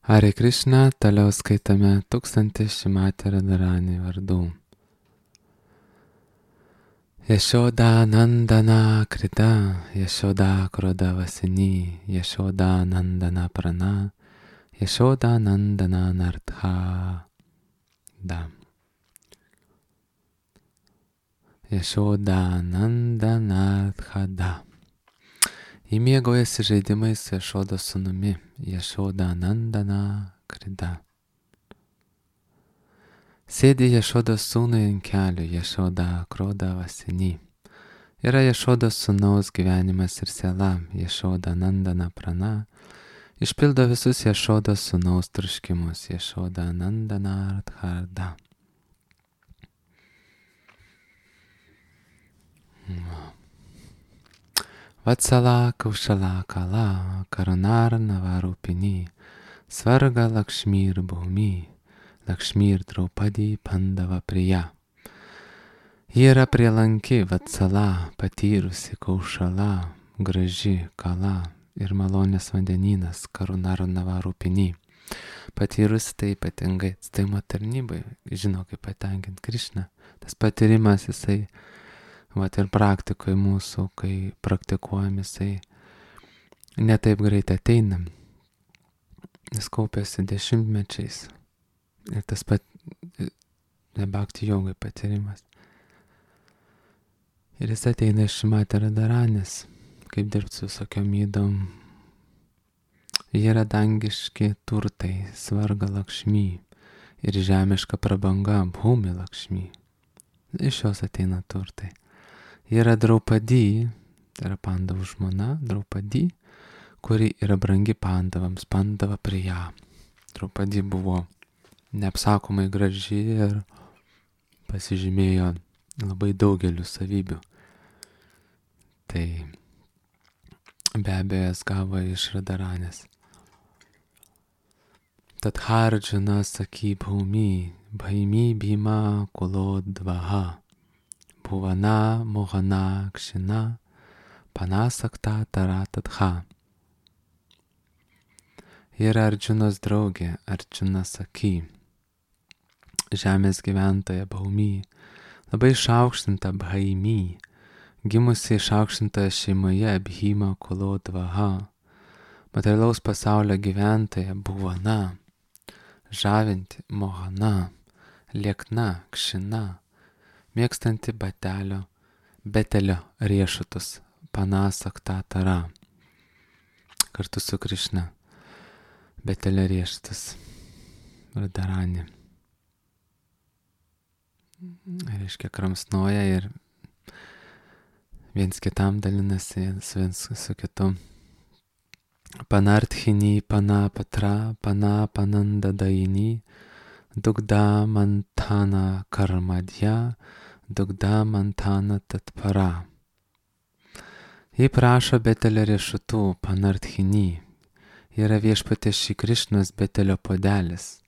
Hare Krishna, toliau skaitame 1000 Šrimati Radharani vardų. Yashoda Nandana Krita, Yashoda Kroda Vasini, Yashoda Nandana Prana, Yashoda Nandana Nartha. Da. Yashoda Nandana Nartha. Įmėgojasi žaidimais su Jašodos sūnumi, Yashoda Nandana Krita. Sėdi Jašodos sūnui ant kelių, Yashoda Kroda Vasini. Yra Jašodos sūnaus gyvenimas ir siela, Yashoda Nandana Prana. Išpildo visus Jašodos sūnaus troškimus, Yashoda Nandana Nartha. Vatsala Kaušala Kala, Karunar Navarupini, Svarga Lakšmir Bhumi, Lakšmir Draupadi Pandava Priya. Ji yra prielanki Vatsala, patyrusi Kaušala, graži Kala ir malonės vandenynas Karunar Navarupini. Patyrusi tai ypatingai atstaimo tarnybai, žino kaip patenkinti Krišną. Tas patyrimas jisai ir praktikoje mūsų, kai praktikuojam, jisai netaip greit ateina. Jis kaupiasi dešimtmečiais. Ir tas pat bhakti jogai patyrimas. Ir jis ateina iš Šrimati Radharanės, kaip dirbti su visokiom ydom. Jie yra dangiški turtai, svarga Lakšmi ir žemiška prabanga, Bhumi Lakšmi. Iš jos ateina turtai. Yra Draupadi, tai yra Pandavų žmona, Draupadi, kuri yra brangi Pandavams, Pandava Priya. Draupadi buvo neapsakomai graži ir pasižymėjo labai daugeliu savybių. Tai be abejo jas gavo iš Radharanės. Tad Arjuna Saki Bhumi, Bhaimi Bhima Kulodvaha. Bhuvana Mohana Kshina Panasakta Taratadha. Yra Arjunos draugė, Arjuna Saki, žemės gyventoja Bhaumi, labai išaukštinta Bhaimi, gimusi išaukštintoje šeimoje Bhima Kulodvaha, materialaus pasaulio gyventoja Bhuvana, žavinti Mohana, liekna Kshina, mėgstanti betelio riešutus, Panasakta Tara, kartu su Krišna, betelio riešutus, Radharani. Reiškia, kramsnoja ir viens kitam dalinasi, viens su kitu. Panarthini, Panapatra, Panapanandadaini, Dugda Mantana Karmadya, Dugda Mantana Tatpara. Ji prašo betelio riešutų, Panarthini. Yra viešpaties Šri Krišnos betelio puodelis,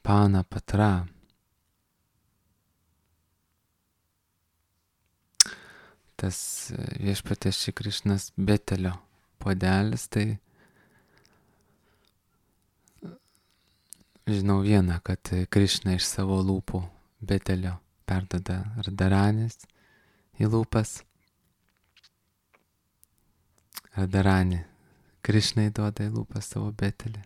Panapatra. Tas viešpaties Šri Krišnos betelio puodelis, tai žinau vieną, kad Krišna iš savo lūpų betelio perduoda Radharanės į lūpas. Radharani Krišnai duoda į lūpas savo betelį.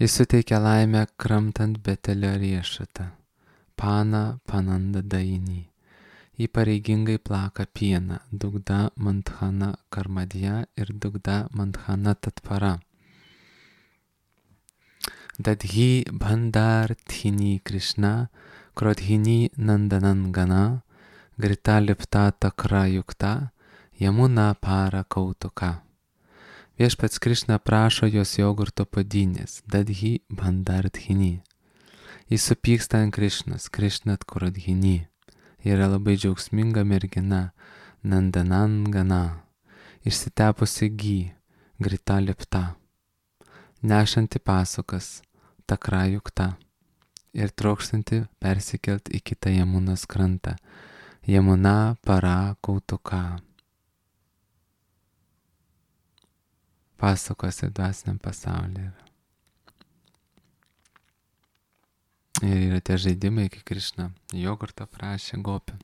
Jis suteikia laimę kramtant betelio riešutą, Pana Panandadaini. Ji pareigingai plaka pieną, Dugda Manthana Karmadya ir Dugda Manthana Tatpara. Dadhi Bhandarthini Krishna, Krodhini Nandanangana, Grita Lipta Takra Yukta, Yamuna Para Kautuka. Viešpats Krišna prašo jos jogurto puodynės, Dadhi Bhandarthini. Jis supyksta ant Krišnos, Krishnat Krodhini. Yra labai džiaugsminga mergina, Nandanangana, išsitepusi gy, Grita Lipta, nešanti pasakas, Takra Yukta, ir trokštanti persikelt į kitą Jamunos krantą, Yamuna Para Kautuka. pasakose dvasiniam pasaulyje. Ir yra tie žaidimai, kai Krišna jogurto prašė gopių.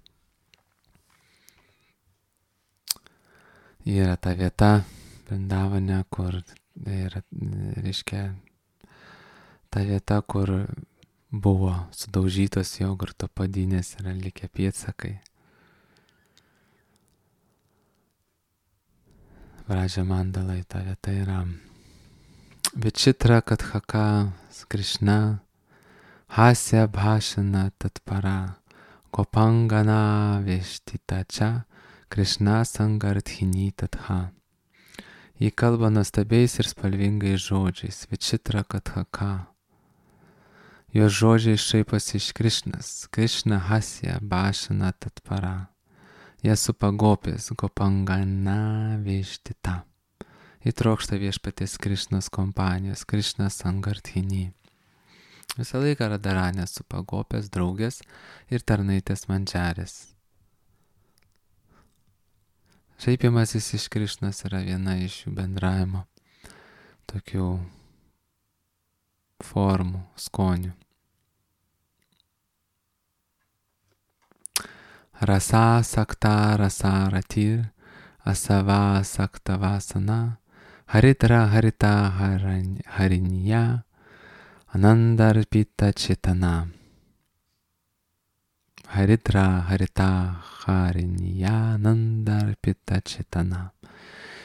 Yra ta vieta Vrindavane, kur yra, reiškia, ta vieta, kur buvo sudaužytos jogurto padynės, yra likę pėdsakai. Vražia mandalai, ta vieta yra. Vičitra Kathaka Krishna Hasya Bhashana Tatpara Gopangana Veshtita Cha Krishna Sangarthini Tatha. Jį kalba nuostabiais ir spalvingais žodžiais. Vičitra Kathaka. Jos žodžiai šaiposi iš Krišnas. Krišna Hasya Bhashana Tatpara. Jie supa gopės, Gopangana Veshtita. Įtrokšta viešpaties Krišnos kompanijos, Krišna Sangarthini. Visą laiką Radharanė supa gopės, draugės ir tarnaitės mandžarės. Šaipimasis iš Krišnos yra viena iš jų bendravimo tokių formų, skonių. Rasa sakta rasa ratir, asava sakta vasana, haritra harita harinya, anandarpita čitana. Haritra harita harinya, anandarpita čitana.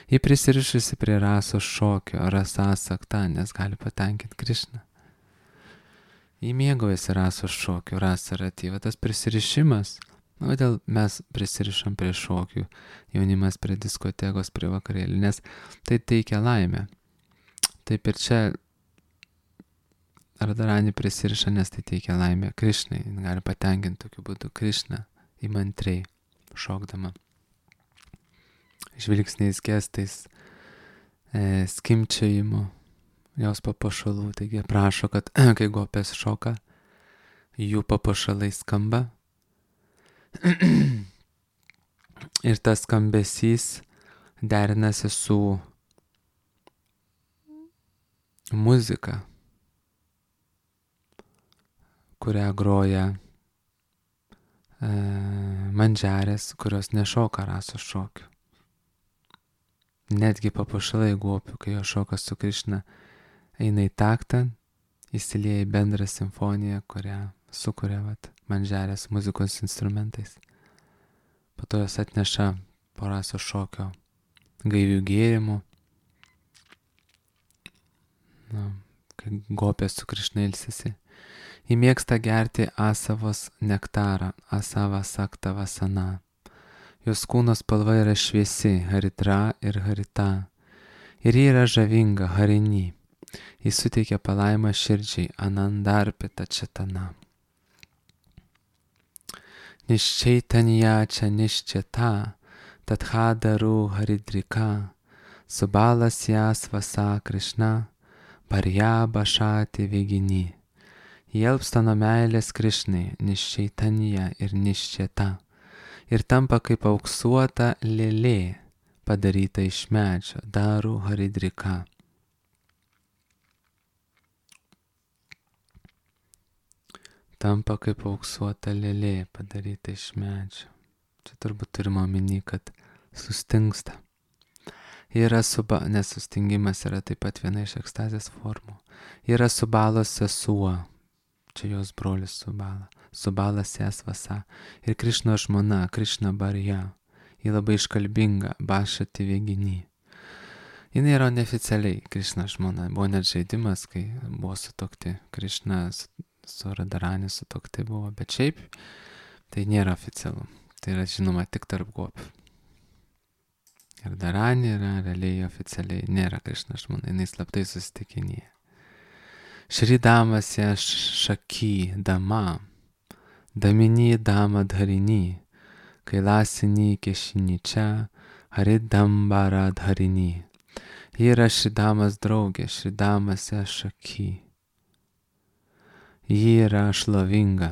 Ji prisirišusi prie rasos šokio, rasa sakta, nes gali patenkinti Krišną. Ji mėgaujasi rasos šokio, rasa ratyva, tas prisirišimas. Kodėl mes prisirišam prie šokių, jaunimas prie diskotekos, prie vakarėlį, nes tai teikia laimę. Taip ir čia Radharani prisiriša, nes tai teikia laimę Krišnai, gali patenkinti tokiu būdu Krišną įmantriai šokdama. Žvilgsniais, gestais, skimčiajimu jos papuošalų. Taigi prašo, kad kai gopės šoka, jų papuošalai skamba. Ir tas skambesys derinasi su muzika, kurią groja mandžarės, kurios nešoka rasos šokių. Netgi papuošalai gopių, kai jo šoka su Krišna, eina į taktą, įsilieja į bendrą simfoniją, kurią sukuria mandžarės muzikos instrumentais. Po to jos atneša po rasos šokio gaivių gėrimų. Kai gopės su Krišna ilsisi. Ji mėgsta gerti asavos nektarą, asava sakta vasana. Jos kūno spalva yra šviesi, haritra ir harita. Ir ji yra žavinga, harini. Ji suteikia palaimą širdžiai, anandarpita čitana. Niščaitanya čia niščeta, tathadaru haridrika, subalas jas vasa Krišna, barja bašati vegini. Jelpsta nuo meilės Krišnai, niščaitanya ir niščeta, ir tampa kaip auksuota lėlė, padaryta iš medžio, daru haridrika. Tampa kaip auksuota lėlė, padaryta iš medžio. Čia turbūt turime omeny, kad sustingsta. Yra nes sustingimas yra taip pat viena iš ekstazės formų. Yra Subalos sesuo, čia jos brolis Subala. Subalas jas vasa. Ir Krišno žmona, Krišna barja. Ji labai iškalbinga, bašati vegini. Jis yra neoficialiai Krišna žmona. Buvo net žaidimas, kai buvo sutokti Krišna su Radharani sutokti buvo, bet šiaip tai nėra oficialu. Tai yra žinoma tik tarp gopių. Radharani yra realiai oficialiai, nėra Krišna žmona, jinai slaptai susitikinėja. Šridamas ją šaky dama, damini dama dharini, kailasini kešini čia, haridambara dharini. Ji yra Šridamas draugė, Šridamas ją šaky. Ji yra šlovinga.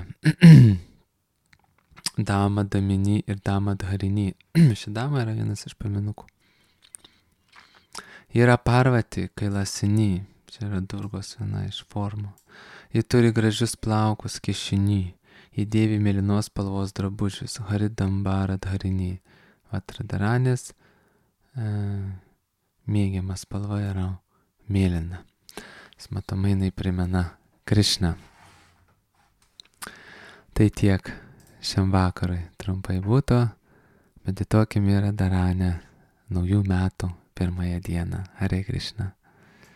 Dama, damini ir dama dharini. Ši dama yra vienas iš paminukų. Yra Parvati Kailasini, čia yra Durgos viena iš formų. Ji turi gražius plaukus kišinį, ji dėvi mėlynos spalvos drabužius, Haridambara Dharini. Vat mėgiama spalva yra mėlyna. Matomai jinai primena Krišną. Tai tiek šiam vakarui trumpai būtų. Medituokime Radharane naujų metų pirmąją dieną. Hare Krishna.